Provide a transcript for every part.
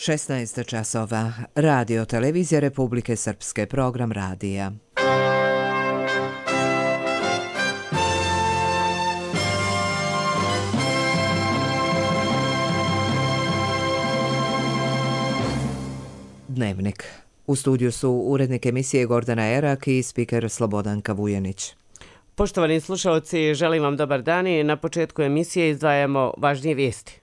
16 časova. Radio Televizija Republike Srpske, program radija. Dnevnik. U studiju su urednik emisije Gordana Erak i spiker Slobodanka Vujanić. Poštovani slušalci, želim vam dobar dan i na početku emisije izdvajamo važnije vijesti.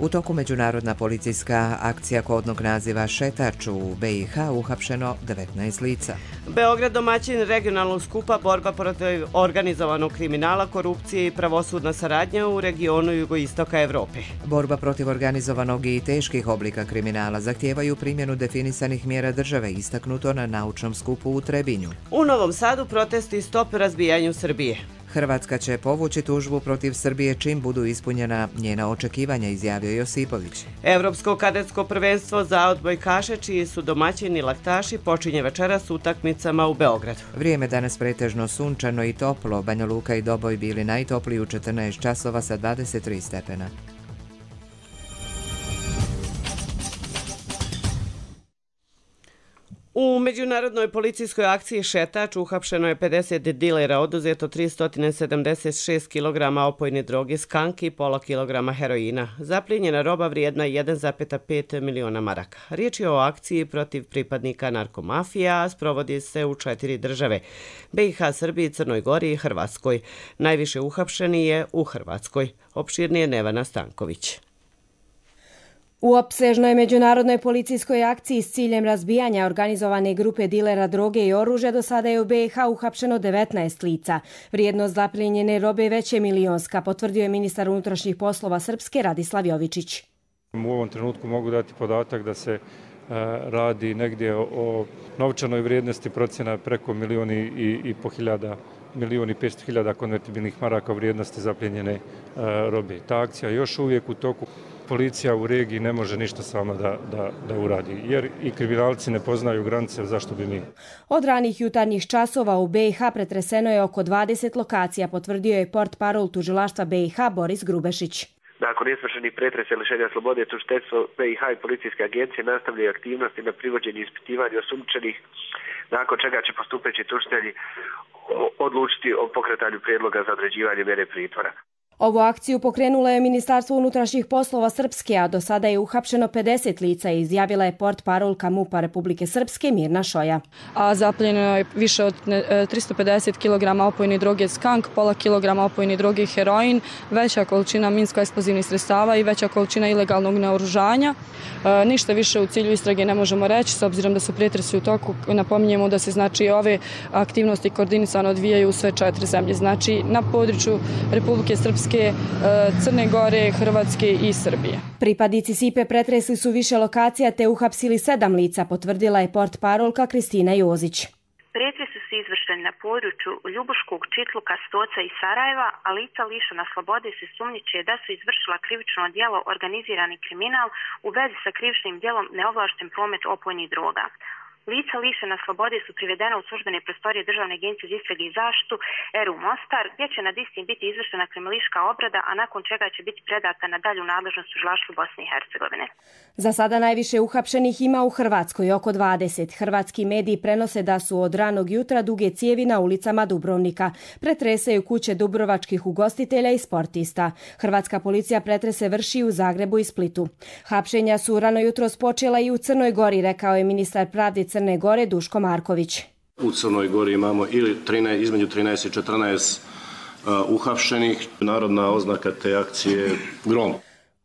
U toku međunarodna policijska akcija kodnog naziva Šetač u BiH uhapšeno 19 lica. Beograd domaćin regionalnog skupa borba protiv organizovanog kriminala, korupcije i pravosudna saradnja u regionu jugoistoka Evrope. Borba protiv organizovanog i teških oblika kriminala zahtijevaju primjenu definisanih mjera države, istaknuto na naučnom skupu u Trebinju. U Novom Sadu protesti stop razbijanju Srbije. Hrvatska će povući tužbu protiv Srbije čim budu ispunjena njena očekivanja, izjavio Josipović. Evropsko kadetsko prvenstvo za odbojkaše, čiji su domaćini laktaši, počinje večeras s utakmicama u Beogradu. Vrijeme danas pretežno sunčano i toplo. Banja Luka i Doboj bili najtopliji u 14 časova sa 23 stepena. U međunarodnoj policijskoj akciji Šetač uhapšeno je 50 dilera, oduzeto 376 kg opojne droge skanki i pola kilograma heroina. Zaplijenjena roba vrijedna 1,5 miliona maraka. Riječ je o akciji protiv pripadnika narkomafija, a sprovodi se u 4 države: BiH, Srbiji, Crnoj Gori i Hrvatskoj. Najviše uhapšeni je u Hrvatskoj. Opširnije Nevana Stanković. U opsežnoj međunarodnoj policijskoj akciji s ciljem razbijanja organizovane grupe dilera droge i oružja do sada je u BiH uhapšeno 19 lica. Vrijednost zaplijenjene robe već je milionska, potvrdio je ministar unutrašnjih poslova Srpske Radislav Jovičić. U ovom trenutku mogu dati podatak da se radi negdje o novčanoj vrijednosti procjena preko 1.500.000 konvertibilnih maraka vrijednosti zaplijenjene robe. Ta akcija je još uvijek u toku. Policija u regiji ne može ništa sama da uradi, jer i kriminalci ne poznaju granice, zašto bi mi. Od ranih jutarnjih časova u BiH pretreseno je oko 20 lokacija, potvrdio je portparol tužilaštva BiH Boris Grubešić. Nakon izvršenih pretresa i lišenja slobode, tužiteljstvo BiH i policijske agencije nastavljaju aktivnosti na privođenju i ispitivanju osumnjičenih, nakon čega će postupeći tužitelji odlučiti o pokretanju prijedloga za određivanje mjere pritvora. Ovu akciju pokrenulo je Ministarstvo unutrašnjih poslova Srpske, a do sada je uhapšeno 50 lica, izjavila je portparolka MUP-a Republike Srpske Mirna Šoja. A zaplijenjeno je više od 350 kg opojne droge skank, pola kilograma opojne droge heroin, veća količina minsko-eksplozivnih sredstava i veća količina ilegalnog naoružanja. Ništa više u cilju istrage ne možemo reći, s obzirom da su pretresi u toku. Napominjemo da se ove aktivnosti koordinisano odvijaju u sve 4 zemlje, znači na području Republike Srpske, Crne Gore, Hrvatske i Srbije. Pripadnici SIPE pretresli su više lokacija te uhapsili 7 lica, potvrdila je portparolka Kristina Jozić. Pretresi su izvršeni na području Ljubuškog, Čitluka, Stoca i Sarajeva, a lica lišena slobode se sumnjiče da su izvršila krivično djelo organizirani kriminal u vezi sa krivičnim djelom neovlašten promet opojnih droga. Lica lišena slobode su privedena u službene prostorije Državne agencije za istrage i zaštitu ERU Mostar, gdje će nad istim biti izvršena kriminalistička obrada, a nakon čega će biti predata na dalju nadležnost tužilaštvu Bosne i Hercegovine. Za sada najviše uhapšenih ima u Hrvatskoj, oko 20. Hrvatski mediji prenose da su od ranog jutra duge cijevi na ulicama Dubrovnika. Pretresaju kuće dubrovačkih ugostitelja i sportista. Hrvatska policija pretrese vrši u Zagrebu i Splitu. Hapšenja su rano jutros počela i u Crnoj Gori, rekao je ministar pravde Crne Gore Duško Marković. U Crnoj Gori imamo između 13 i 14 uhapšenih. Narodna oznaka te akcije je Grom.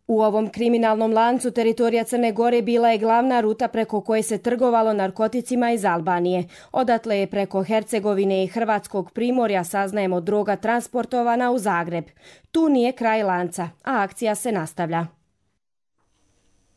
U ovom kriminalnom lancu teritorija Crne Gore bila je glavna ruta preko koje se trgovalo narkoticima iz Albanije. Odatle je preko Hercegovine i Hrvatskog primorja, saznajemo, droga transportovana u Zagreb. Tu nije kraj lanca, a akcija se nastavlja.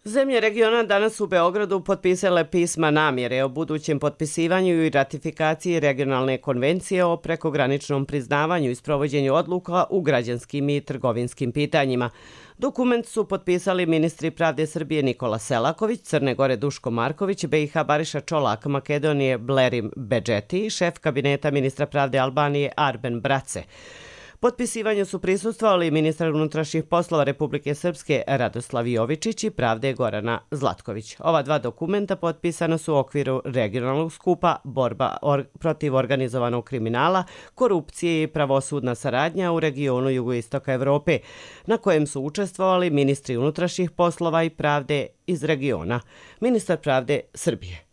Zemlje regiona danas u Beogradu potpisale pisma namjere o budućem potpisivanju i ratifikaciji regionalne konvencije o prekograničnom priznavanju i sprovođenju odluka u građanskim i trgovinskim pitanjima. Dokument su potpisali ministri pravde Srbije Nikola Selaković, Crne Gore Duško Marković, BiH Bariša Čolak, Makedonije Blerim Bedžeti i šef kabineta ministra pravde Albanije Arben Brace. Potpisivanju su prisustvovali ministar unutrašnjih poslova Republike Srpske Radoslav Jovičić i pravde Gorana Zlatković. Ova dva dokumenta potpisana su u okviru regionalnog skupa Borba protiv organizovanog kriminala, korupcije i pravosudna saradnja u regionu jugoistoka Evrope, na kojem su učestvovali ministri unutrašnjih poslova i pravde iz regiona. Ministar pravde Srbije.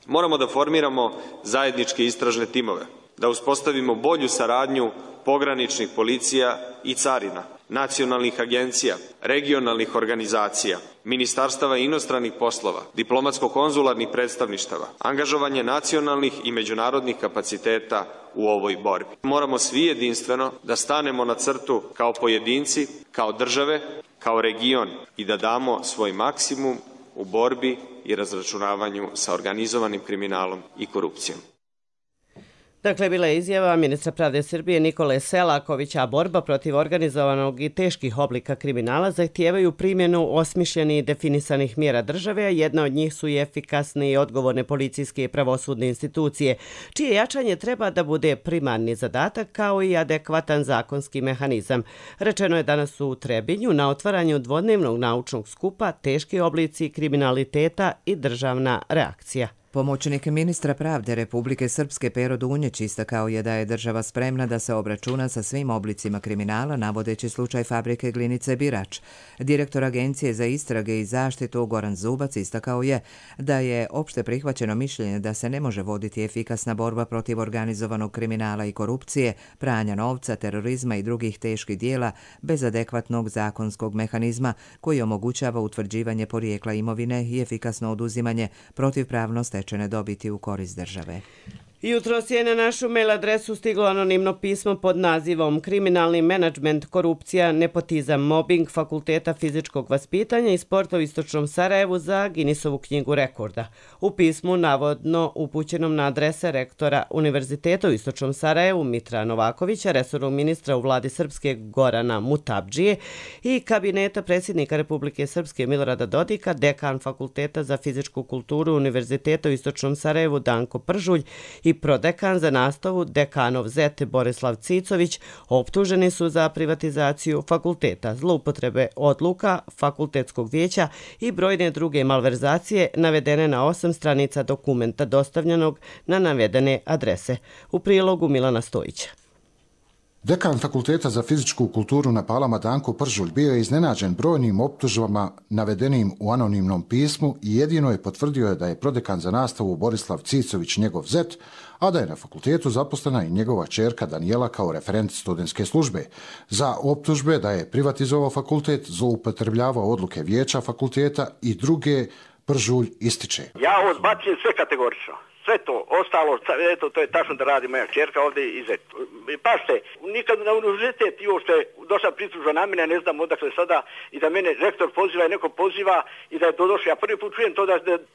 Moramo da formiramo zajedničke istražne timove, da uspostavimo bolju saradnju pograničnih policija i carina, nacionalnih agencija, regionalnih organizacija, ministarstava inostranih poslova, diplomatsko-konzularnih predstavništava, angažovanje nacionalnih i međunarodnih kapaciteta u ovoj borbi. Moramo svi jedinstveno da stanemo na crtu kao pojedinci, kao države, kao region i da damo svoj maksimum u borbi i razračunavanju sa organizovanim kriminalom i korupcijom. Dakle, bila je izjava ministra pravde Srbije Nikole Selakovića, a borba protiv organizovanog i teških oblika kriminala zahtijevaju primjenu osmišljenih i definisanih mjera države, a jedna od njih su i efikasne i odgovorne policijske i pravosudne institucije, čije jačanje treba da bude primarni zadatak kao i adekvatan zakonski mehanizam. Rečeno je danas u Trebinju na otvaranju dvodnevnog naučnog skupa Teški oblici kriminaliteta i državna reakcija. Pomoćnik ministra pravde Republike Srpske Pero Dunjeć istakao je da je država spremna da se obračuna sa svim oblicima kriminala, navodeći slučaj fabrike Glinice Birač. Direktor Agencije za istrage i zaštitu Goran Zubac istakao je da je opšte prihvaćeno mišljenje da se ne može voditi efikasna borba protiv organizovanog kriminala i korupcije, pranja novca, terorizma i drugih teških dijela bez adekvatnog zakonskog mehanizma koji omogućava utvrđivanje porijekla imovine i efikasno oduzimanje protivpravno stečene dobiti u korist države. Jutros je na našu mail adresu stiglo anonimno pismo pod nazivom Kriminalni menadžment, korupcija, nepotizam, mobbing Fakulteta fizičkog vaspitanja i sporta u Istočnom Sarajevu za Guinnessovu knjigu rekorda. U pismu, navodno upućenom na adrese rektora Univerziteta u Istočnom Sarajevu Mitra Novakovića, resornog ministra u vladi Srpske Gorana Mutabdžije i kabineta predsjednika Republike Srpske Milorada Dodika, dekan Fakulteta za fizičku kulturu Univerziteta u Istočnom Sarajevu Danko Pržulj i prodekan za nastavu dekanov zet Borislav Cicović optuženi su za privatizaciju fakulteta, zloupotrebe odluka fakultetskog vijeća i brojne druge malverzacije navedene na 8 stranica dokumenta dostavljenog na navedene adrese. U prilogu Milana Stojića. Dekan Fakulteta za fizičku kulturu na Palama Danko Pržulj bio je iznenađen brojnim optužbama navedenim u anonimnom pismu i jedino je potvrdio da je prodekan za nastavu Borislav Cicović njegov zet, a da je na fakultetu zaposlena i njegova ćerka Danijela kao referent studentske službe. Za optužbe da je privatizovao fakultet, zloupotrebljavao odluke vijeća fakulteta i druge, Pržulj ističe. Ja odbacujem sve kategorično. Sve to, ostalo, eto, to je tačno da radi moja čerka ovdje i zet. Pašte, nikad na univerzitet i što je došla pritužba na mene, ne znam odakle sada, i da mene rektor poziva i neko poziva i da je to došlo. Ja prvi put čujem to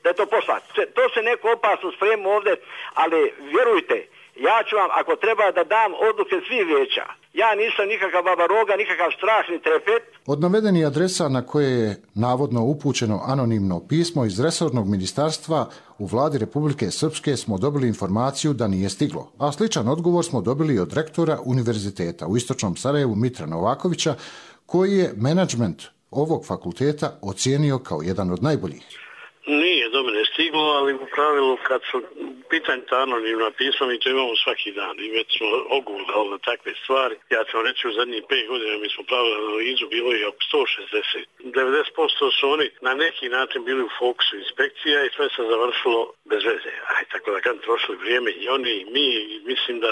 da je to poslat. To se neko opasno sprema ovdje, ali vjerujte, ja ću vam, ako treba, da dam odluke svih vijeća. Ja nisam nikakav babaroga, nikakav strašni trepet. Od navedenih adresa na koje je navodno upućeno anonimno pismo iz resornog ministarstva u vladi Republike Srpske smo dobili informaciju da nije stiglo, a sličan odgovor smo dobili od rektora Univerziteta u Istočnom Sarajevu Mitra Novakovića, koji je menadžment ovog fakulteta ocijenio kao jedan od najboljih. Nije do mene stiglo, ali u pravilu kad su pitanje ta anonimna pisma, mi to imamo svaki dan i već smo ogledali na takve stvari. Ja ću vam reći, u zadnjih 5 godina mi smo pravili analizu, bilo je oko 160. 90% su oni na neki način bili u fokusu inspekcija i sve se završilo bez veze. Tako da kad trošili vrijeme i oni i mi, mislim da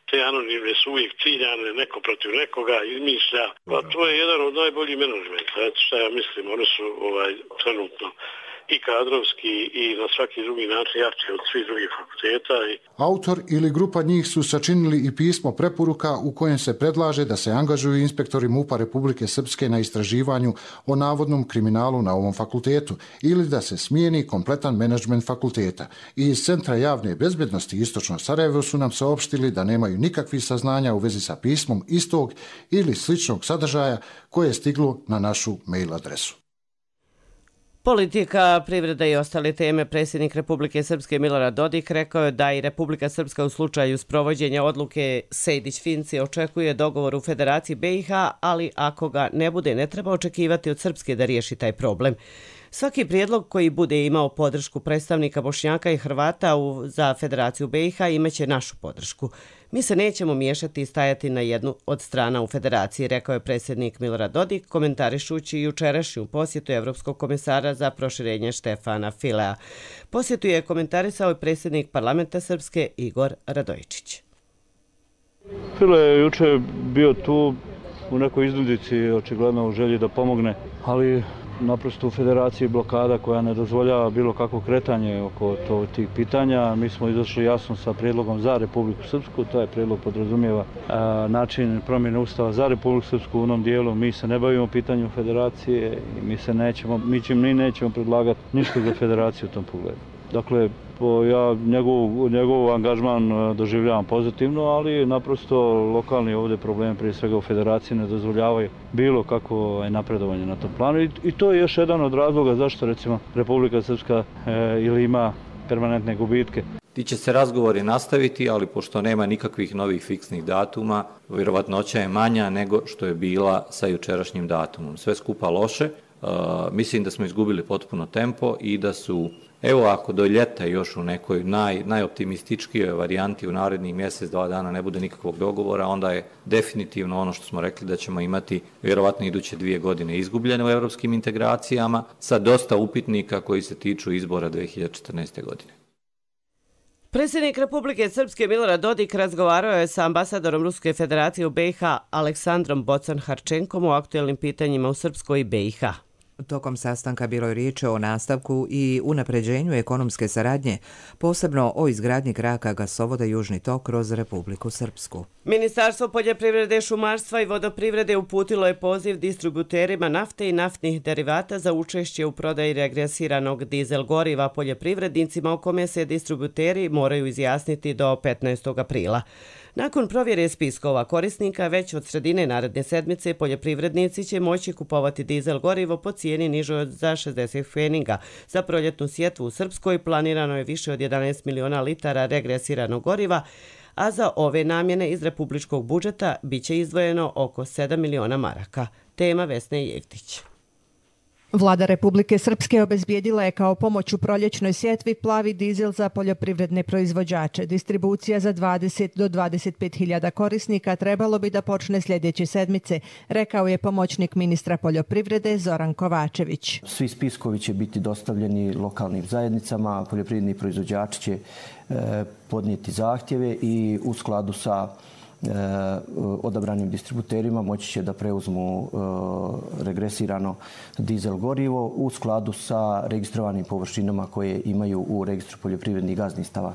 te anonimne su uvijek ciljane, neko protiv nekoga izmišlja. Pa to je jedan od najboljih menadžmenta. Eto šta ja mislim, oni su trenutno i kadrovski i na svaki drugi način jači od svih drugih fakulteta. Autor ili grupa njih su sačinili i pismo preporuka u kojem se predlaže da se angažuju inspektori MUP-a Republike Srpske na istraživanju o navodnom kriminalu na ovom fakultetu ili da se smijeni kompletan menadžment fakulteta. I iz Centra javne bezbjednosti Istočno Sarajevo su nam saopštili da nemaju nikakvih saznanja u vezi sa pismom istog ili sličnog sadržaja koje je stiglo na našu mail adresu. Politika, privreda i ostale teme. Predsjednik Republike Srpske Milorad Dodik rekao je da i Republika Srpska u slučaju sprovođenja odluke Sejdić-Finci očekuje dogovor u Federaciji BiH, ali ako ga ne bude, ne treba očekivati od Srpske da riješi taj problem. Svaki prijedlog koji bude imao podršku predstavnika Bošnjaka i Hrvata za Federaciju BiH imaće našu podršku. Mi se nećemo miješati i stajati na jednu od strana u Federaciji, rekao je predsjednik Milorad Dodik, komentarišući jučerašnju posjetu Evropskog komesara za proširenje Štefana Filea. Posjetu je komentarisao i predsjednik parlamenta Srpske Igor Radojičić. File je juče bio tu u nekoj iznudici, očigledno u želji da pomogne, ali naprosto u Federaciji blokada koja ne dozvoljava bilo kakvo kretanje oko tih pitanja. Mi smo izašli jasno sa prijedlogom za Republiku Srpsku. Taj prijedlog podrazumijeva način promjene ustava za Republiku Srpsku u onom dijelu. Mi se ne bavimo pitanjem Federacije i mi nećemo predlagati ništa za Federaciju u tom pogledu. Dakle, ja njegov angažman doživljavam pozitivno, ali naprosto lokalni ovdje problemi, prije svega u Federaciji, ne dozvoljavaju bilo kakvo napredovanje na tom planu. I to je još jedan od razloga zašto recimo Republika Srpska ili ima permanentne gubitke. Ti će se razgovori nastaviti, ali pošto nema nikakvih novih fiksnih datuma, vjerovatnoća je manja nego što je bila sa jučerašnjim datumom. Sve skupa loše. Mislim da smo izgubili potpuno tempo i da su, evo ako do ljeta još u nekoj najoptimističkijoj varijanti u narednih mjesec, 2 dana ne bude nikakvog dogovora, onda je definitivno ono što smo rekli da ćemo imati vjerovatno iduće 2 godine izgubljene u evropskim integracijama sa dosta upitnika koji se tiču izbora 2014. godine. Predsjednik Republike Srpske Milorad Dodik razgovarao je sa ambasadorom Ruske federacije u BiH Aleksandrom Bocan-Harčenkom o aktuelnim pitanjima u Srpskoj i BiH. Tokom sastanka bilo je riječ o nastavku i unapređenju ekonomske saradnje, posebno o izgradnji kraka gasovoda Južni tok kroz Republiku Srpsku. Ministarstvo poljoprivrede, šumarstva i vodoprivrede uputilo je poziv distributerima nafte i naftnih derivata za učešće u prodaji regresiranog dizel goriva poljoprivrednicima o kome se distributeri moraju izjasniti do 15. aprila. Nakon provjere spiskova korisnika, već od sredine naredne sedmice poljoprivrednici će moći kupovati dizel gorivo po cijeni nižoj za 60 pfeninga. Za proljetnu sjetvu u Srpskoj planirano je više od 11 miliona litara regresiranog goriva, a za ove namjene iz republičkog budžeta biće izdvojeno oko 7 miliona maraka. Tema Vesne Jevtić. Vlada Republike Srpske obezbijedila je kao pomoć u proljećnoj sjetvi plavi dizel za poljoprivredne proizvođače. Distribucija za 20 do 25 hiljada korisnika trebalo bi da počne sljedeće sedmice, rekao je pomoćnik ministra poljoprivrede Zoran Kovačević. Svi spiskovi će biti dostavljeni lokalnim zajednicama, poljoprivredni proizvođači će podnijeti zahtjeve i u skladu sa odabranim distributerima moći će da preuzmu regresirano dizel gorivo u skladu sa registrovanim površinama koje imaju u registru poljoprivrednih gazdinstava.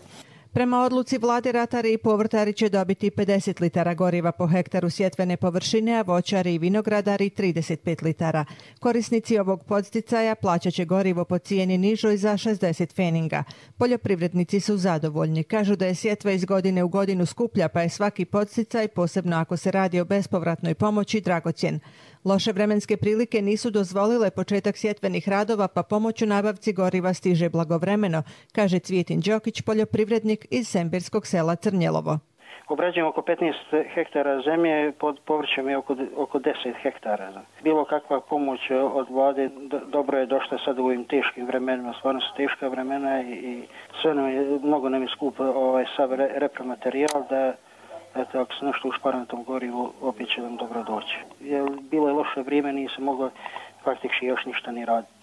Prema odluci vlade ratari i povrtari će dobiti 50 litara goriva po hektaru sjetvene površine, a voćari i vinogradari 35 litara. Korisnici ovog podsticaja plaćat će gorivo po cijeni nižoj za 60 pfeninga. Poljoprivrednici su zadovoljni. Kažu da je sjetva iz godine u godinu skuplja, pa je svaki podsticaj, posebno ako se radi o bespovratnoj pomoći, dragocjen. Loše vremenske prilike nisu dozvolile početak sjetvenih radova, pa pomoć u nabavci goriva stiže blagovremeno, kaže Cvijetin Đokić, poljoprivrednik iz Sembirskog sela Crnjelovo. Obrađujemo oko 15 hektara zemlje, pod povrćem je oko 10 hektara. Bilo kakva pomoć od vlade dobro je došla sad u ovim teškim vremenima, stvarno su teška vremena i sve nam je, mnogo nam je skup sav repromaterijal da eto, ako se nešto ušpara na tom gorivu, opet će nam dobro doći. Bilo je loše vrijeme, nije se moglo faktički još ništa ni raditi.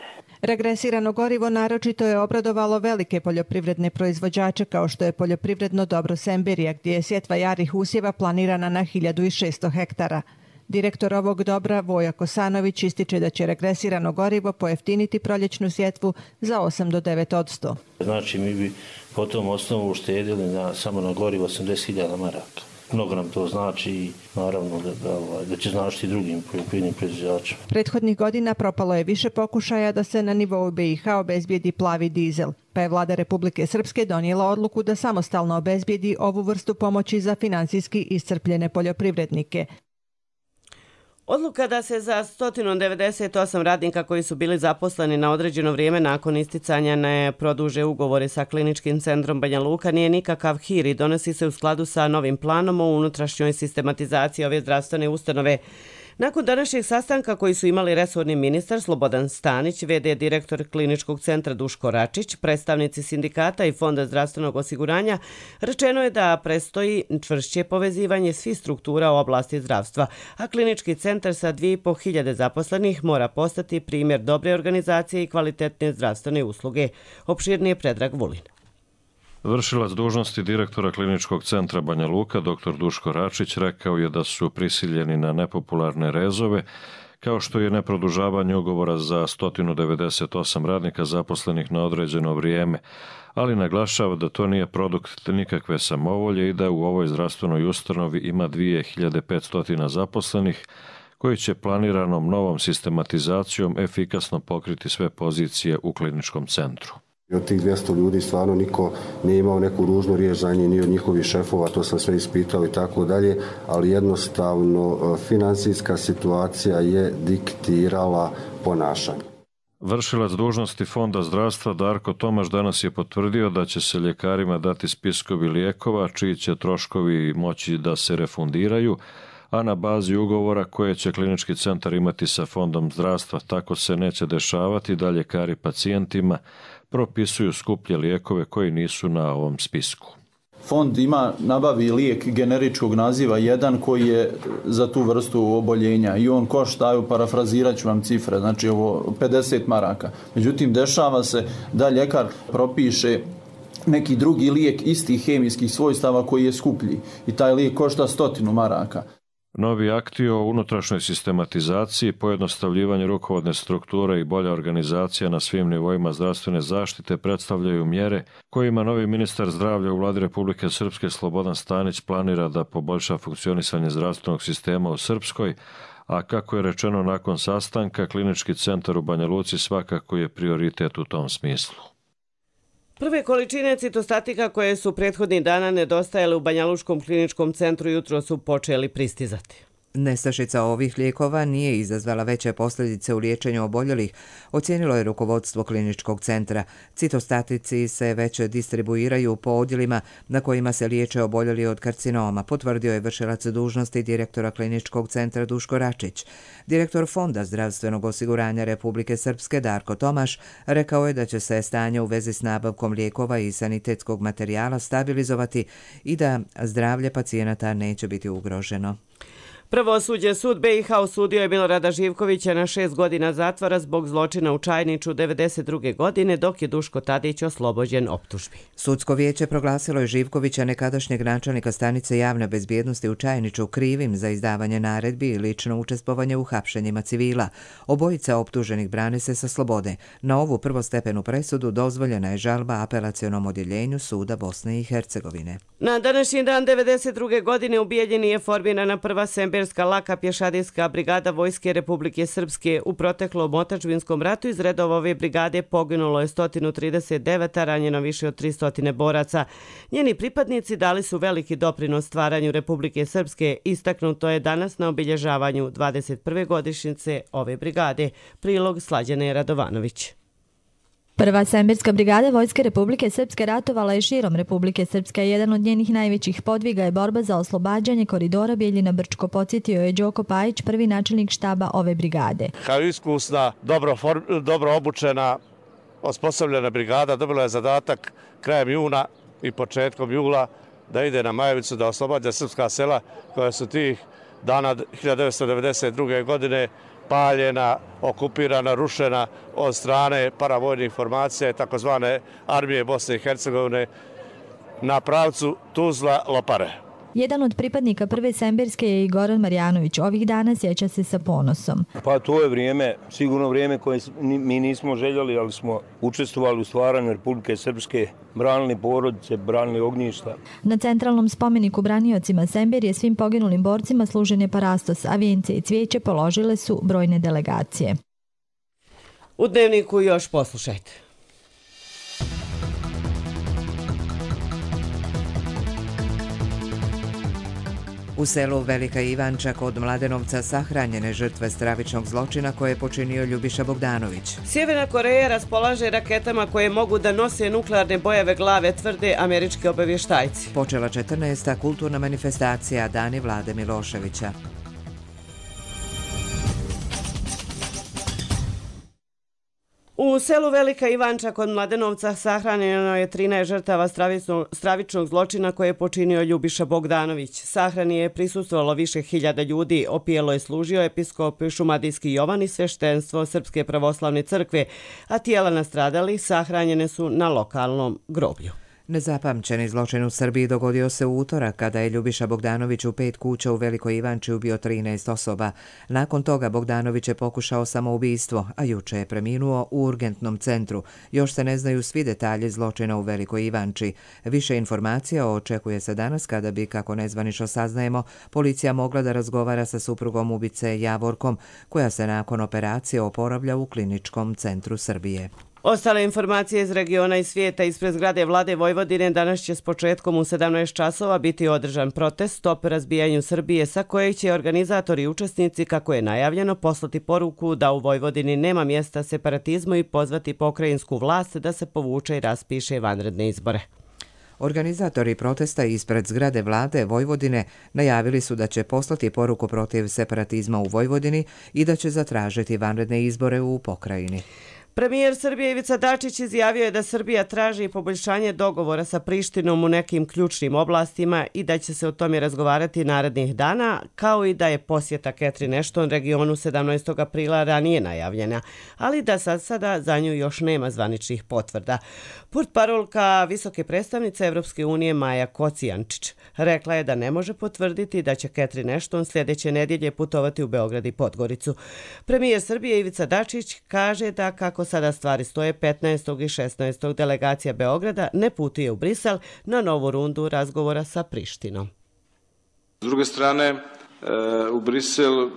Regresirano gorivo naročito je obradovalo velike poljoprivredne proizvođače kao što je poljoprivredno dobro Sembirija, gdje je sjetva jarih usjeva planirana na 1600 hektara. Direktor ovog dobra Voja Kosanović ističe da će regresirano gorivo pojeftiniti proljećnu sjetvu za 8 do 9%. Znači mi bi po tom osnovu uštedili samo na gorivo 80.000 maraka. Mnogo nam to znači i naravno da će značiti drugim poljoprivrednim proizvođačima. Prethodnih godina propalo je više pokušaja da se na nivou BiH obezbijedi plavi dizel, pa je vlada Republike Srpske donijela odluku da samostalno obezbijedi ovu vrstu pomoći za finansijski iscrpljene poljoprivrednike. Odluka da se za 198 radnika koji su bili zaposleni na određeno vrijeme nakon isticanja ne produže ugovore sa Kliničkim centrom Banja Luka nije nikakav hir i donosi se u skladu sa novim planom o unutrašnjoj sistematizaciji ove zdravstvene ustanove. Nakon današnjeg sastanka koji su imali resorni ministar Slobodan Stanić, v.d. direktor Kliničkog centra Duško Račić, predstavnici sindikata i Fonda zdravstvenog osiguranja, rečeno je da predstoji čvršće povezivanje svih struktura u oblasti zdravstva, a Klinički centar sa 2.500 zaposlenih mora postati primjer dobre organizacije i kvalitetne zdravstvene usluge. Opširnije Predrag Vulin. Vršilac dužnosti direktora Kliničkog centra Banja Luka, dr. Duško Račić, rekao je da su prisiljeni na nepopularne rezove, kao što je neprodužavanje ugovora za 198 radnika zaposlenih na određeno vrijeme, ali naglašava da to nije produkt nikakve samovolje i da u ovoj zdravstvenoj ustanovi ima 2500 zaposlenih, koji će planiranom novom sistematizacijom efikasno pokriti sve pozicije u kliničkom centru. Od tih 200 ljudi stvarno niko nije imao neku ružnu riječ za njih, ni od njihovih šefova, to sam sve ispitao i tako dalje, ali jednostavno financijska situacija je diktirala ponašanje. Vršilac dužnosti Fonda zdravstva Darko Tomaš danas je potvrdio da će se ljekarima dati spiskovi lijekova čiji će troškovi moći da se refundiraju, a na bazi ugovora koje će Klinički centar imati sa Fondom zdravstva. Tako se neće dešavati da ljekari pacijentima propisuju skuplje lijekove koji nisu na ovom spisku. Fond nabavi lijek generičkog naziva 1 koji je za tu vrstu oboljenja i on košta, parafrazirat ću vam cifre, znači ovo 50 maraka. Međutim, dešava se da ljekar propiše neki drugi lijek istih hemijskih svojstava koji je skuplji i taj lijek košta 100 maraka. Novi akti o unutrašnjoj sistematizaciji, pojednostavljivanje rukovodne strukture i bolja organizacija na svim nivoima zdravstvene zaštite predstavljaju mjere kojima novi ministar zdravlja u vladi Republike Srpske Slobodan Stanić planira da poboljša funkcionisanje zdravstvenog sistema u Srpskoj, a kako je rečeno nakon sastanka, Klinički centar u Banja Luci svakako je prioritet u tom smislu. Prve količine citostatika koje su prethodnih dana nedostajale u Banjalučkom kliničkom centru jutro su počeli pristizati. Nestašica ovih lijekova nije izazvala veće posljedice u liječenju oboljelih, ocijenilo je rukovodstvo Kliničkog centra. Citostatici se već distribuiraju po odjelima na kojima se liječe oboljeli od karcinoma, potvrdio je vršilac dužnosti direktora Kliničkog centra Duško Račić. Direktor Fonda zdravstvenog osiguranja Republike Srpske Darko Tomaš rekao je da će se stanje u vezi s nabavkom lijekova i sanitetskog materijala stabilizovati i da zdravlje pacijenata neće biti ugroženo. Prvosuđe sud BiH osudio je Milorada Živkovića na 6 godina zatvora zbog zločina u Čajniču 1992. godine, dok je Duško Tadić oslobođen optužbi. Sudsko vijeće proglasilo je Živkovića, nekadašnjeg načelnika stanice javne bezbjednosti u Čajniču, krivim za izdavanje naredbi i lično učestvovanje u hapšenjima civila. Obojica optuženih brane se sa slobode. Na ovu prvostepenu presudu dozvoljena je žalba apelacionom odjeljenju suda Bosne i Hercegovine. Na današnji dan 1992. godine ubijeljena je formirana prva semberska laka pješadijska brigada Vojske Republike Srpske. U proteklom otadžbinskom ratu iz redova ove brigade poginulo je 139, a ranjeno više od 300 boraca. Njeni pripadnici dali su veliki doprinos stvaranju Republike Srpske. Istaknuto je danas na obilježavanju 21. godišnjice ove brigade. Prilog Slađane Radovanović. Prva semberska brigada Vojske Republike Srpske ratovala je širom Republike Srpske. Jedan od njenih najvećih podviga je borba za oslobađanje koridora Bijeljina-Brčko, podsjetio je Đoko Pajić, prvi načelnik štaba ove brigade. Kao iskusna, dobro obučena, osposobljena brigada dobila je zadatak krajem juna i početkom jula da ide na Majevicu da oslobađa srpska sela koja su tih dana 1992. godine paljena, okupirana, rušena od strane paravojnih formacija takozvane armije Bosne i Hercegovine na pravcu Tuzla-Lopare. Jedan od pripadnika prve Semberske je i Goran Marjanović. Ovih dana sjeća se sa ponosom. Pa to je vrijeme, sigurno vrijeme koje mi nismo željeli, ali smo učestvovali u stvaranju Republike Srpske, branili porodice, branili ognjišta. Na centralnom spomeniku braniocima Semberije svim poginulim borcima služen je parastos, a vijence i cvijeće položile su brojne delegacije. U Dnevniku još poslušajte. U selu Velika Ivanča kod Mladenovca sahranjene žrtve stravičnog zločina koje je počinio Ljubiša Bogdanović. Sjeverna Koreja raspolaže raketama koje mogu da nose nuklearne bojeve glave, tvrde američki obavještajci. Počela 14. kulturna manifestacija Dani Vlade Miloševića. U selu Velika Ivanča kod Mladenovca sahranjeno je 13 žrtava stravičnog zločina koje je počinio Ljubiša Bogdanović. Sahrani je prisustvovalo više hiljada ljudi, opijelo je služio episkop Šumadijski Jovan i sveštenstvo Srpske pravoslavne crkve, a tijela nastradalih sahranjene su na lokalnom groblju. Nezapamćeni zločin u Srbiji dogodio se u utorak kada je Ljubiša Bogdanović u 5 kuća u Velikoj Ivanči ubio 13 osoba. Nakon toga Bogdanović je pokušao samoubistvo, a juče je preminuo u urgentnom centru. Još se ne znaju svi detalji zločina u Velikoj Ivanči. Više informacija očekuje se danas kada bi, kako nezvanično saznajemo, policija mogla da razgovara sa suprugom ubice Javorkom, koja se nakon operacije oporavlja u kliničkom centru Srbije. Ostale informacije iz regiona i svijeta. Ispred zgrade Vlade Vojvodine danas će s početkom u 17 časova biti održan protest Stop razbijanju Srbije, sa kojeg će organizatori i učesnici, kako je najavljeno, poslati poruku da u Vojvodini nema mjesta separatizmu i pozvati pokrajinsku vlast da se povuče i raspiše vanredne izbore. Organizatori protesta ispred zgrade Vlade Vojvodine najavili su da će poslati poruku protiv separatizma u Vojvodini i da će zatražiti vanredne izbore u pokrajini. Premijer Srbije Ivica Dačić izjavio je da Srbija traži poboljšanje dogovora sa Prištinom u nekim ključnim oblastima i da će se o tome razgovarati narednih dana, kao i da je posjeta Catherine Ashton regionu 17. aprila ranije najavljena, ali da sada za nju još nema zvaničnih potvrda. Portparolka visoke predstavnice Evropske unije Maja Kocijančić rekla je da ne može potvrditi da će Catherine Ashton sljedeće nedjelje putovati u Beograd i Podgoricu. Premijer Srbije Ivica Dačić kaže da kako sada stvari stoje, 15. i 16. delegacija Beograda ne putuje u Brisel na novu rundu razgovora sa Prištinom. S druge strane, u Brisel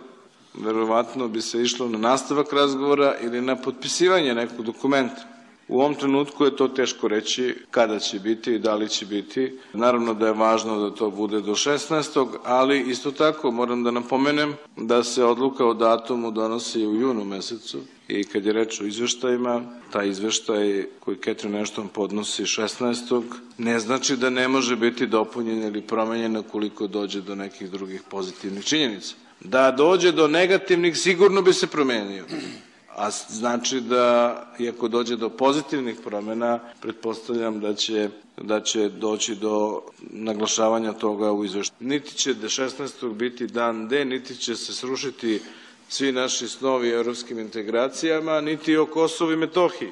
verovatno bi se išlo na nastavak razgovora ili na potpisivanje nekog dokumenta. U ovom trenutku je to teško reći kada će biti i da li će biti. Naravno da je važno da to bude do 16. ali isto tako moram da napomenem da se odluka o datumu donosi u junu mesecu i kad je reč o izveštajima, taj izveštaj koji Catherine Ashton podnosi 16. ne znači da ne može biti dopunjen ili promenjen ukoliko dođe do nekih drugih pozitivnih činjenica. Da dođe do negativnih sigurno bi se promenio. A znači da, iako dođe do pozitivnih promjena, pretpostavljam da će doći do naglašavanja toga u izveštaju. Niti će 16. biti dan D, niti će se srušiti svi naši snovi o evropskim integracijama, niti o Kosovu i Metohiji.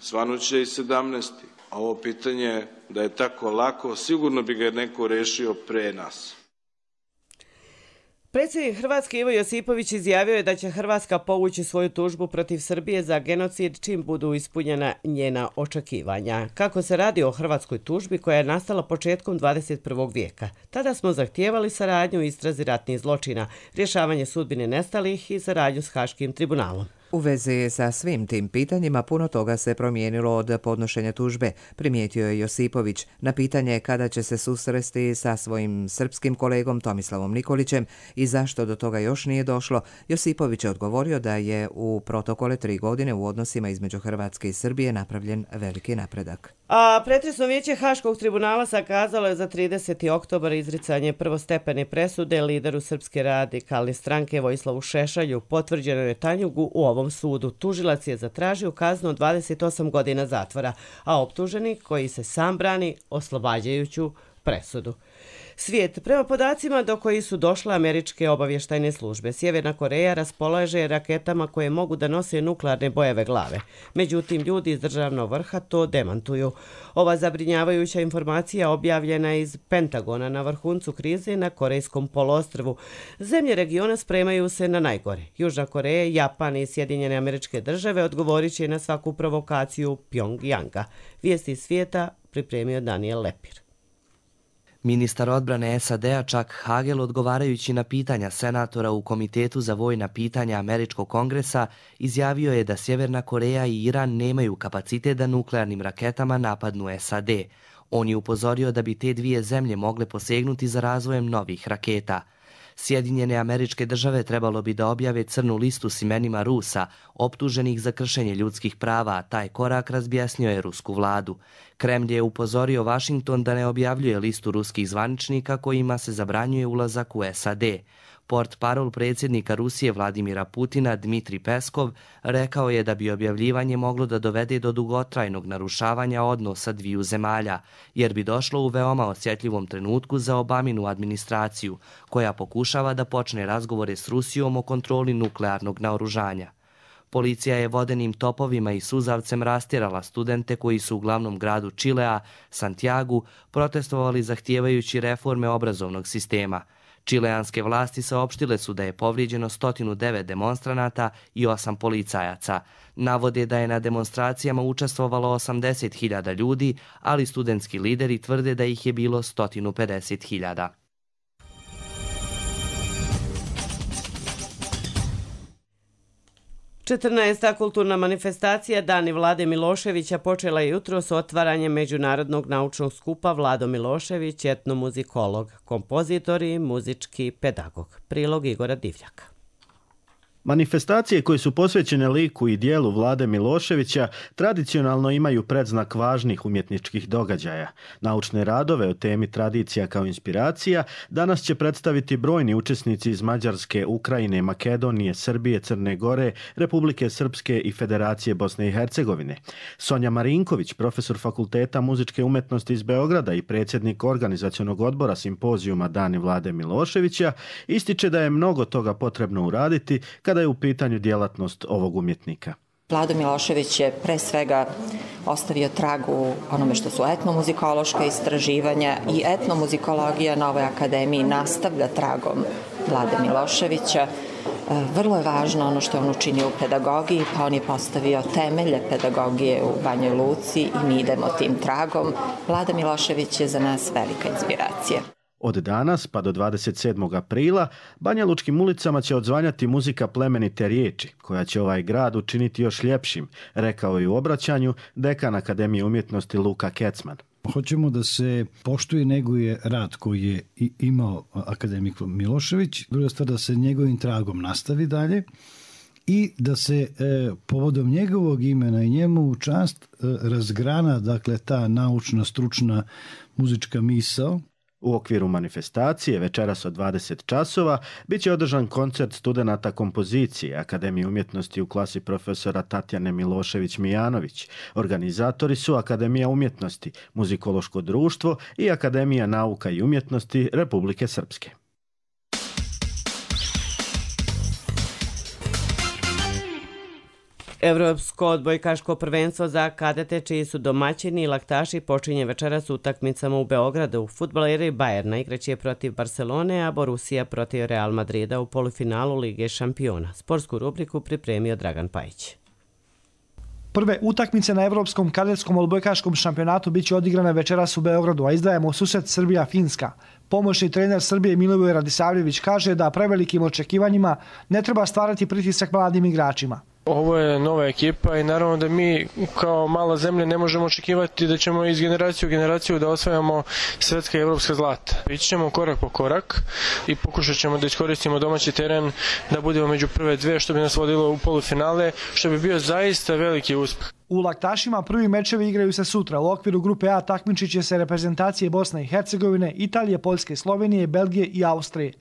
Svanuće i 17. A ovo pitanje da je tako lako, sigurno bi ga neko rešio pre nas. Predsjednik Hrvatske Ivo Josipović izjavio je da će Hrvatska povući svoju tužbu protiv Srbije za genocid čim budu ispunjena njena očekivanja. Kako se radi o hrvatskoj tužbi koja je nastala početkom 21. vijeka. Tada smo zahtijevali saradnju u istrazi ratnih zločina, rješavanje sudbine nestalih i saradnju s Haškim tribunalom. U vezi sa svim tim pitanjima puno toga se promijenilo od podnošenja tužbe, primijetio je Josipović. Na pitanje kada će se susresti sa svojim srpskim kolegom Tomislavom Nikolićem i zašto do toga još nije došlo, Josipović je odgovorio da je u protokole 3 godine u odnosima između Hrvatske i Srbije napravljen veliki napredak. A pretresno vijeće Haškog tribunala sakazalo je za 30. oktobar izricanje prvostepene presude lideru Srpske radikalne stranke Vojislavu Šešelju, potvrđeno je Tanjugu u ovom sudu. Tužilac je zatražio kaznu od 28 godina zatvora, a optuženi, koji se sam brani, oslobađajuću presudu. Svijet. Prema podacima do kojih su došle američke obavještajne službe, Sjeverna Koreja raspolaže raketama koje mogu da nose nuklearne bojeve glave. Međutim, ljudi iz državnog vrha to demantuju. Ova zabrinjavajuća informacija objavljena je iz Pentagona na vrhuncu krize na Korejskom poluostrvu. Zemlje regiona spremaju se na najgore. Južna Koreja, Japan i Sjedinjene Američke Države odgovorit će na svaku provokaciju Pjongjanga. Vijesti svijeta pripremio Daniel Lepir. Ministar odbrane SAD-a Chuck Hagel, odgovarajući na pitanja senatora u Komitetu za vojna pitanja Američkog kongresa, izjavio je da Sjeverna Koreja i Iran nemaju kapacitet da nuklearnim raketama napadnu SAD. On je upozorio da bi te dvije zemlje mogle posegnuti za razvojem novih raketa. Sjedinjene Američke Države trebalo bi da objave crnu listu s imenima Rusa, optuženih za kršenje ljudskih prava, a taj korak razbjesnio je rusku vladu. Kremlj je upozorio Washington da ne objavljuje listu ruskih zvaničnika kojima se zabranjuje ulazak u SAD. Portparol predsjednika Rusije Vladimira Putina Dmitri Peskov rekao je da bi objavljivanje moglo da dovede do dugotrajnog narušavanja odnosa dviju zemalja, jer bi došlo u veoma osjetljivom trenutku za Obaminu administraciju, koja pokušava da počne razgovore s Rusijom o kontroli nuklearnog naoružanja. Policija je vodenim topovima i suzavcem rastjerala studente koji su u glavnom gradu Čilea, Santiagu, protestovali zahtijevajući reforme obrazovnog sistema. Čileanske vlasti saopštile su da je povrijeđeno 109 demonstranata i 8 policajaca. Navode da je na demonstracijama učestvovalo 80.000 ljudi, ali studentski lideri tvrde da ih je bilo 150.000. Četrnaesta kulturna manifestacija Dani Vlade Miloševića počela je jutros s otvaranjem Međunarodnog naučnog skupa Vlado Milošević, etnomuzikolog, kompozitor i muzički pedagog. Prilog Igora Divljaka. Manifestacije koje su posvećene liku i dijelu Vlade Miloševića tradicionalno imaju predznak važnih umjetničkih događaja. Naučne radove o temi tradicija kao inspiracija danas će predstaviti brojni učesnici iz Mađarske, Ukrajine, Makedonije, Srbije, Crne Gore, Republike Srpske i Federacije Bosne i Hercegovine. Sonja Marinković, profesor Fakulteta muzičke umjetnosti iz Beograda i predsjednik organizacionog odbora simpozijuma Dani Vlade Miloševića, ističe da je mnogo toga potrebno uraditi kada je u pitanju djelatnost ovog umjetnika. Vlado Milošević je pre svega ostavio trag u onome što su etnomuzikološka istraživanja i etnomuzikologija na ovoj akademiji nastavlja tragom Vlade Miloševića. Vrlo je važno ono što on učinio u pedagogiji, pa on je postavio temelje pedagogije u Banjoj Luci i mi idemo tim tragom. Vlada Milošević je za nas velika inspiracija. Od danas pa do 27. aprila Banja Lučkim ulicama će odzvanjati muzika plemenite riječi, koja će ovaj grad učiniti još ljepšim, rekao je u obraćanju dekan Akademije umjetnosti Luka Kecman. Hoćemo da se poštuje i neguje rad koji je imao akademik Milošević, druga stvar da se njegovim tragom nastavi dalje i da se povodom njegovog imena i njemu u čast razgrana, dakle, ta naučna, stručna muzička misao. U okviru manifestacije večeras od 20 časova bit će održan koncert studenata kompozicije Akademije umjetnosti u klasi profesora Tatjane Milošević-Mijanović. Organizatori su Akademija umjetnosti, Muzikološko društvo i Akademija nauka i umjetnosti Republike Srpske. Evropsko odbojkaško prvenstvo za kadete čiji su domaćini i laktaši počinje večeras utakmicama u Beogradu. Fudbaleri Bajerna igraće protiv Barcelone, a Borussia protiv Real Madrida u polufinalu Lige šampiona. Sportsku rubriku pripremio Dragan Pajić. Prve utakmice na Evropskom kadetskom odbojkaškom šampionatu biće odigrane večeras u Beogradu, a izdajemo susret Srbija-Finska. Pomoćni trener Srbije Milivoj Radisavljević kaže da prevelikim očekivanjima ne treba stvarati pritisak mladim igračima. Ovo je nova ekipa i naravno da mi kao mala zemlja ne možemo očekivati da ćemo iz generacije u generaciju da osvajamo svetska i evropska zlata. Ići ćemo korak po korak i pokušat ćemo da iskoristimo domaći teren, da budemo među prve dve, što bi nas vodilo u polufinale, što bi bio zaista veliki uspeh. U laktašima prvi mečevi igraju se sutra. U okviru grupe A takmičit će se reprezentacije Bosne i Hercegovine, Italije, Poljske, Slovenije, Belgije i Austrije.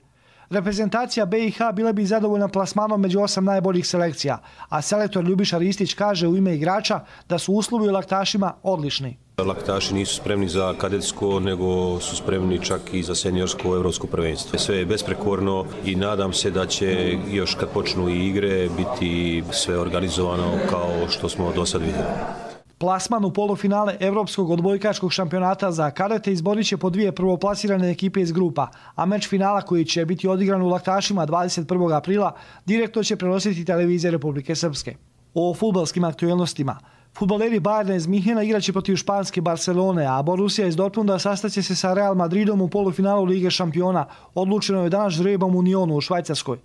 Reprezentacija BiH bila bi zadovoljna plasmanom među 8 najboljih selekcija, a selektor Ljubiša Ristić kaže u ime igrača da su uslovi u laktašima odlični. Laktaši nisu spremni za kadetsko, nego su spremni čak i za seniorsko evropsko prvenstvo. Sve je besprekorno i nadam se da će još kad počnu i igre biti sve organizovano kao što smo do sad vidjeli. Plasman u polufinale Evropskog odbojkaškog šampionata za kadete izborit će po dvije prvoplasirane ekipe iz grupa, a meč finala koji će biti odigran u Laktašima 21. aprila direktno će prenositi televizija Republike Srpske. O fudbalskim aktuelnostima. Fudbaleri Bayerna iz Minhena igraće protiv španske Barcelone, a Borussia iz Dortmunda sastaće se sa Real Madridom u polufinalu Lige šampiona. Odlučeno je danas žrebom u Nyonu u Švajcarskoj.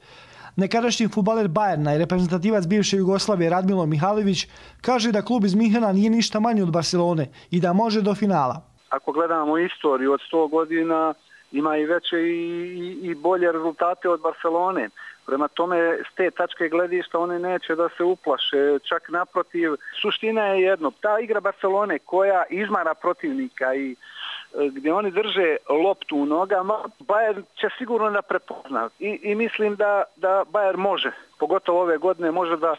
Nekadašnji fudbaler Bayerna i reprezentativac bivše Jugoslavije Radmilo Mihajlović kaže da klub iz Minhena nije ništa manji od Barcelone i da može do finala. Ako gledamo istoriju od 100 godina, ima i veće i bolje rezultate od Barcelone. Prema tome, s te tačke gledišta one neće da se uplaše, čak naprotiv. Suština je jedno, ta igra Barcelone koja izmara protivnika i gdje oni drže loptu u nogama, Bayern će sigurno da prepozna. I mislim da Bayern može, pogotovo ove godine, može da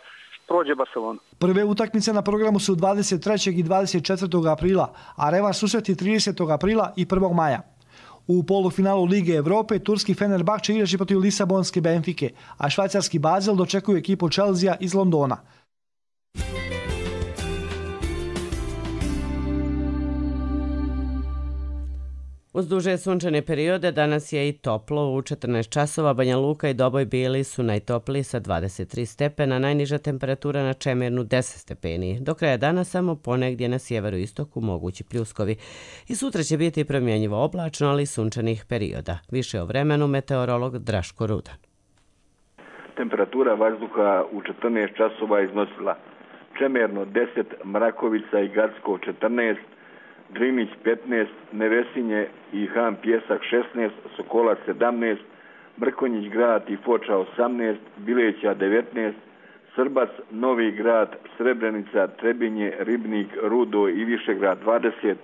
prođe Barcelonu. Prve utakmice na programu su 23. i 24. aprila, a revanš susreti 30. aprila i 1. maja. U polufinalu Lige Evrope turski Fenerbahče igraće protiv Lisabonske Benfike, a švajcarski Basel dočekuje ekipu Chelsea iz Londona. Uz duže sunčane periode danas je i toplo. U 14 časova Banja Luka i Doboj bili su najtopliji sa 23 stepena, najniža temperatura na Čemernu 10 stepeni. Do kraja dana samo ponegdje na sjeveru istoku mogući pljuskovi. I sutra će biti promjenjivo oblačno, ali sunčanih perioda. Više o vremenu meteorolog Draško Rudan. Temperatura vazduha u 14 časova iznosila Čemerno 10, Mrakovica i Gacko 14, Drinić 15, Nevesinje i Han Pjesak 16, Sokolac 17, Mrkonjić grad i Foča 18, Bileća 19, Srbac, Novi grad, Srebrenica, Trebinje, Ribnik, Rudo i Višegrad 20,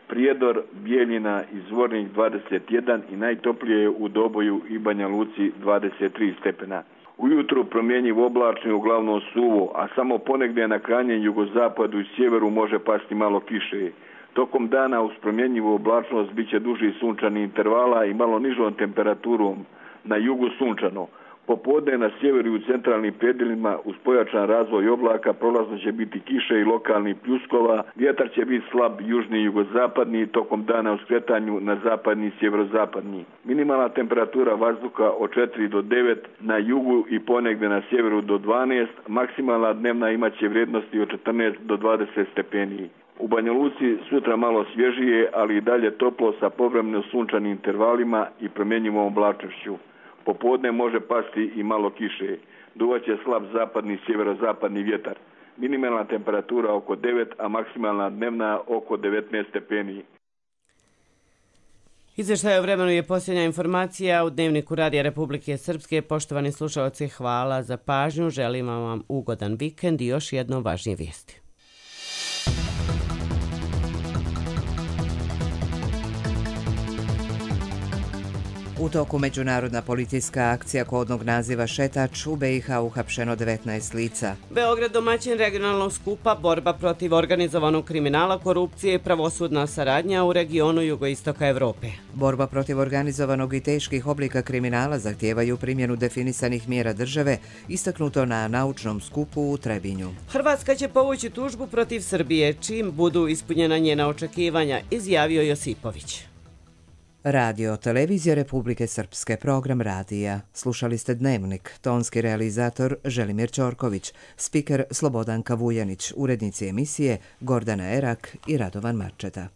Prijedor, Bijeljina i Zvornik 21 i najtoplije je u Doboju i Banja Luci 23 stepena. Ujutru promjenjivo oblačno i uglavnom suvo, a samo ponegdje na krajnjem jugozapadu i sjeveru može pasti malo kiše. Tokom dana uz promjenjivu oblačnost bit će duži sunčani intervala i malo nižom temperaturom, na jugu sunčano. Popodne na sjeveru i u centralnim predjelima uz pojačan razvoj oblaka prolazno će biti kiše i lokalnih pljuskova, vjetar će biti slab južni i jugozapadni, tokom dana u skretanju na zapadni i sjeverozapadni. Minimalna temperatura vazduha od 4 do 9, na jugu i ponegdje na sjeveru do 12, maksimalna dnevna imaće vrijednosti od 14 do 20 stepeni. U Banja Luci sutra malo svježije, ali i dalje toplo sa povremeno sunčanim intervalima i promjenjivom oblačnošću. Popodne može pasti i malo kiše. Duvaće slab zapadni i sjeverozapadni vjetar. Minimalna temperatura oko 9, a maksimalna dnevna oko 19 stepeni. Izvještaj o vremenu je posljednja informacija u Dnevniku Radija Republike Srpske. Poštovani slušalci, hvala za pažnju. Želim vam ugodan vikend i još jedno važnije vijesti. U toku međunarodna policijska akcija kodnog naziva Šetač u BiH uhapšeno 19 lica. Beograd domaćin regionalnog skupa borba protiv organizovanog kriminala, korupcije i pravosudna saradnja u regionu jugoistoka Evrope. Borba protiv organizovanog i teških oblika kriminala zahtijevaju primjenu definisanih mjera države, istaknuto na naučnom skupu u Trebinju. Hrvatska će povući tužbu protiv Srbije čim budu ispunjena njena očekivanja, izjavio Josipović. Radio Televizija Republike Srpske, program radija. Slušali ste Dnevnik, tonski realizator Želimir Ćorković, spiker Slobodanka Vujanić, urednici emisije Gordana Erak i Radovan Marčeta.